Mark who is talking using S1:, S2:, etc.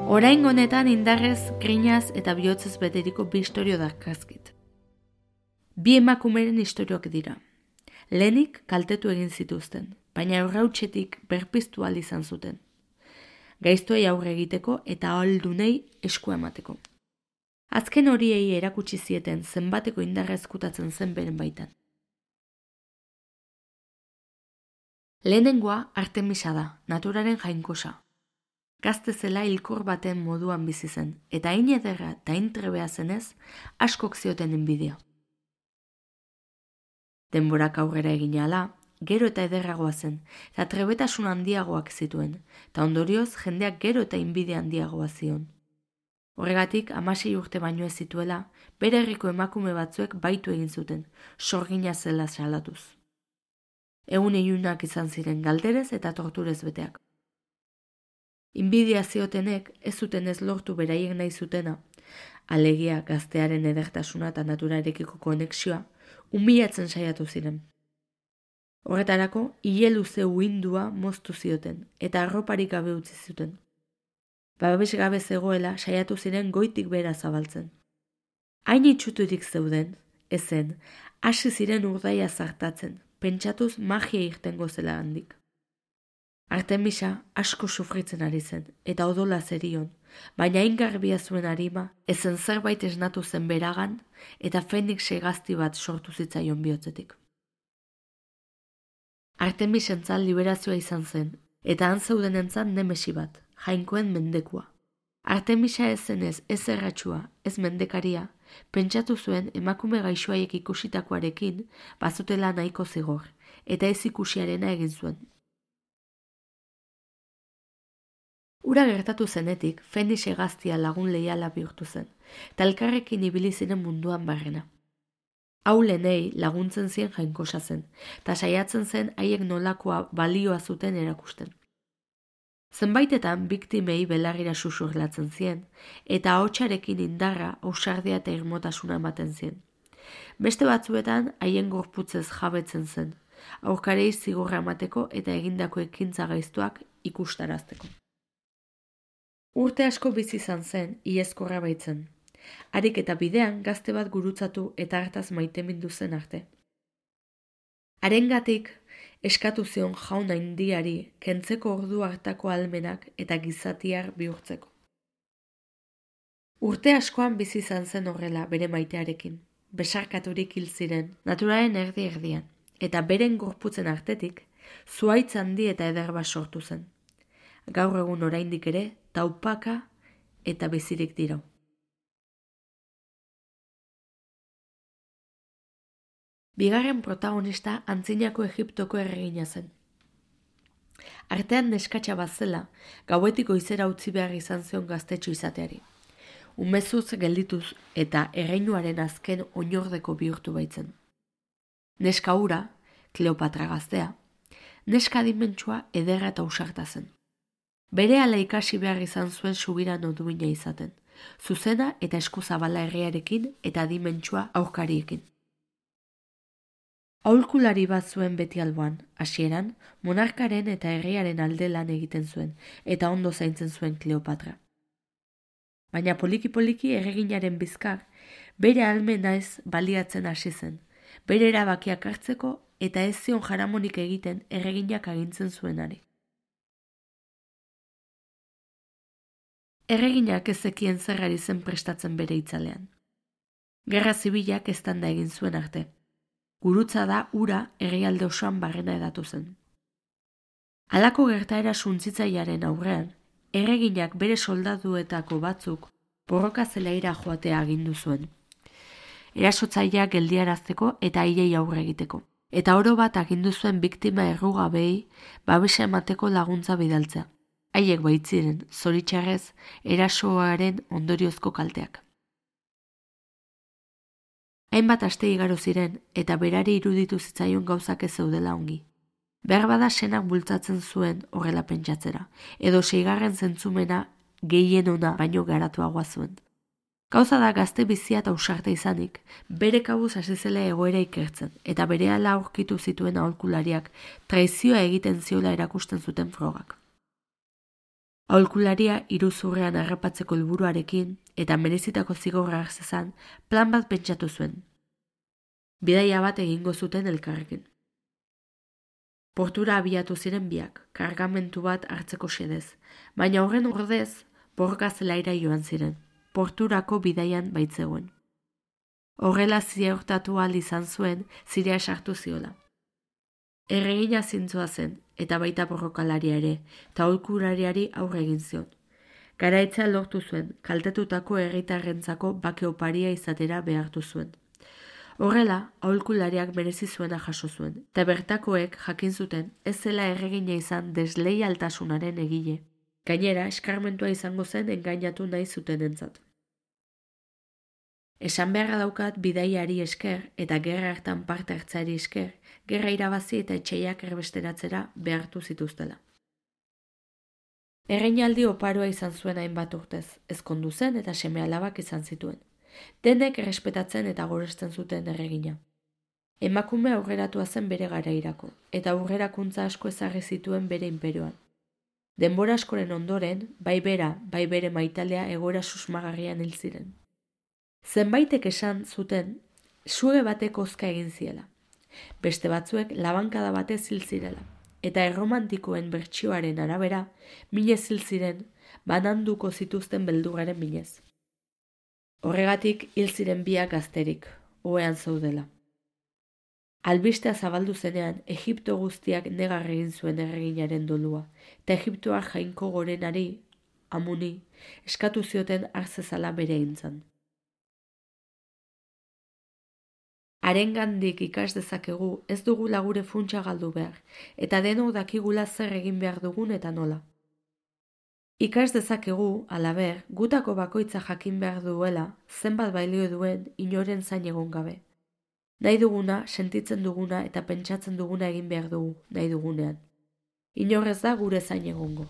S1: Orain honetan indarrez, grinaz eta bihotzez beteriko bi istorio darkazkit. Bi emakumeren istorioak dira. Lehenik kaltetu egin zituzten, baina aurrautsetik berpiztu ahal izan zuten. Gaiztoei aurre egiteko eta ahaldunei eskua emateko. Azken horiei erakutsi zieten zenbateko indarra ezkutatzen zen beren baitan. Lehenengoa Artemisa da, naturaren jainkosa. Gazte zela hilkor baten moduan bizi zen, eta hain ederra eta hain trebea zenez, askok zioten enbidia. Denborak aurrera egin ahala, gero eta ederragoa zen, eta trebetasun handiagoak zituen, eta ondorioz jendeak gero eta inbidia handiagoa zion. Horregatik, 16 urte baino ez zituela, bere herriko emakume batzuek baitu egin zuten, sorgina zela salatuz. Egun ilunak izan ziren galderez eta torturez beteak. Inbidia ziotenek ez zuten ez lortu beraiek nahi zutena, alegia gaztearen edertasuna eta naturarekiko konexioa, umilatzen saiatu ziren. Horretarako, ile luze uindua moztu zioten, eta arroparik gabe utzi zuten. Babes gabe zegoela saiatu ziren goitik bera zabaltzen. Hain itxuturik zeuden, ezen, hasi ziren urdaia zartatzen, pentsatuz magia irtengo zela handik. Artemisa asko sufritzen ari zen, eta odola zerion, baina hain garbia zuen arima, ezen zerbait esnatu zen beragan, eta Fenix hegazti bat sortu zitzaion bihotzetik. Artemisentzat liberazioa izan zen, eta han zeudenentzat nemesi bat, jainkoen mendekua. Artemisa ez zenez ez erratxua, ez mendekaria, pentsatu zuen emakume gaixoaiek ikusitakoarekin bazutela nahiko zigor, eta ez ikusiarena egin zuen. Ura gertatu zenetik, Fenix hegaztia lagun leiala bihurtu zen, eta elkarrekin ibili ziren munduan barrena. Haulenei laguntzen zien jainkosa zen, eta saiatzen zen haiek nolakoa balioa zuten erakusten. Zenbaitetan biktimei belarrira susurlatzen zien, eta ahotsarekin indarra, ausardia eta irmotasuna ematen zien. Beste batzuetan haien gorputzez jabetzen zen, aurkarei zigorra emateko eta egindako ekintza gaiztoak ikustarazteko. Urte asko bizi izan zen, iezkorra baitzen. Harik eta bidean gazte bat gurutzatu eta hartaz maitemindu zen arte. Harengatik eskatu zion jaun handiari kentzeko ordu hartako ahalmenak eta gizatiar bihurtzeko. Urte askoan bizi izan zen horrela bere maitearekin, besarkaturik hil ziren, naturaren erdi-erdian, eta beren gorputzen artetik, zuhaitz handi eta eder bat sortu zen. Gaur egun oraindik ere, taupaka eta bizirik dirau. Bigarren protagonista antzinako Egiptoko erregina zen. Artean neskatxa bat zela, gauetik goizera utzi behar izan zion gaztetxo izateari. Umezuz geldituz eta erreinuaren azken oinordeko bihurtu baitzen. Neska hura, Kleopatra gaztea, neska adimentsua ederra eta ausarta zen. Berehala ikasi behar izan zuen subirano duina izaten, zuzena eta eskuzabala herriarekin eta adimentsua aurkariekin. Aholkulari bat zuen beti alboan, hasieran, monarkaren eta herriaren alde lan egiten zuen, eta ondo zaintzen zuen Kleopatra. Baina poliki-poliki erreginaren bizkar, bere ahalmena ez baliatzen hasi zen, bere erabakiak hartzeko eta ez zion jaramonik egiten erreginak agintzen zuenari. Erreginak ez zekien zer ari zen prestatzen bere itzalean. Gerra zibilak eztanda egin zuen arte. Gurutza da ura herrialde osoan barrena edatu zen. Halako gertaera suntsitzailearen aurrean, erreginak bere soldaduetako batzuk borroka zelaira joatea agindu zuen. Erasotzaileak geldiarazteko eta haiei aurre egiteko. Eta oro bat agindu zuen biktima errugabei babesa emateko laguntza bidaltzea. Haiek baitziren, zoritxarrez, erasoaren ondoriozko kalteak. Hainbat aste igaro ziren eta berari iruditu zitzaion gauzak ez zeudela ongi. Beharbada senak bultzatzen zuen horrela pentsatzera, edo 6. zentzumena gehien ona baino garatuagoa zuen. Gauza da gazte bizia eta ausarta izanik, bere kabuz hasi zela egoera ikertzen, eta berehala aurkitu zituen aholkulariak traizioa egiten ziola erakusten zuten frogak. Aholkularia iruzurrean harrapatzeko helburuarekin eta merezitako zigorra hartzezan plan bat pentsatu zuen. Bidaia bat egingo zuten elkarrekin. Portura abiatu ziren biak, kargamentu bat hartzeko xedez, baina horren ordez borroka zelaira joan ziren, porturako bidaian baitzegoen. Horrela ziurtatu ahal izan zuen zirea esartu ziola. Erregina zintzoa zen, eta baita borrokalaria ere, eta aholkulariari aurre egin zion. Garaitzea lortu zuen, kaltetutako herritarrentzako bake oparia izatera behartu zuen. Horrela, aholkulariak merezi zuena jaso zuen, eta bertakoek jakin zuten ez zela erregina izan desleialtasunaren egile. Gainera, eskarmentua izango zen engainatu nahi zutenentzat. Esan beharra daukat bidaiari esker eta gerra hartan parte hartzeari esker, gerra irabazi eta etxeiak erbesteratzera behartu zituztela. Erreinaldi oparoa izan zuen hainbat urtez, ezkondu zen eta seme-alabak izan zituen. Denek errespetatzen eta goresten zuten erregina. Emakume aurreratua zen bere garairako, eta aurrerakuntza asko ezarri zituen bere inperioan. Denbora askoren ondoren, bai bera, bai bere maitalea egoera susmagarrian hil ziren. Zenbaitek esan zuten, suge batek hozka egin ziela. Beste batzuek labankada batez hil zirela, eta erromantikoen bertsioaren arabera, minez hil ziren, bananduko zituzten beldurraren minez. Horregatik hil ziren biak gazterik, ohean zaudela. Albistea zabaldu zenean, Egipto guztiak negar egin zuen erreginaren dolua, eta Egiptoar jainko gorenari, Amuni, eskatu zioten hartzezala bere eintzan. Harengandik ikas dezakegu ez dugula gure funtsa galdu behar, eta denok dakigula zer egin behar dugun eta nola. Ikas dezakegu, halaber, gutako bakoitza jakin behar duela, zenbat balio duen inoren zain egon gabe. Nahi duguna, sentitzen duguna eta pentsatzen duguna egin behar dugu, nahi dugunean. Inorrez da gure zain egongo.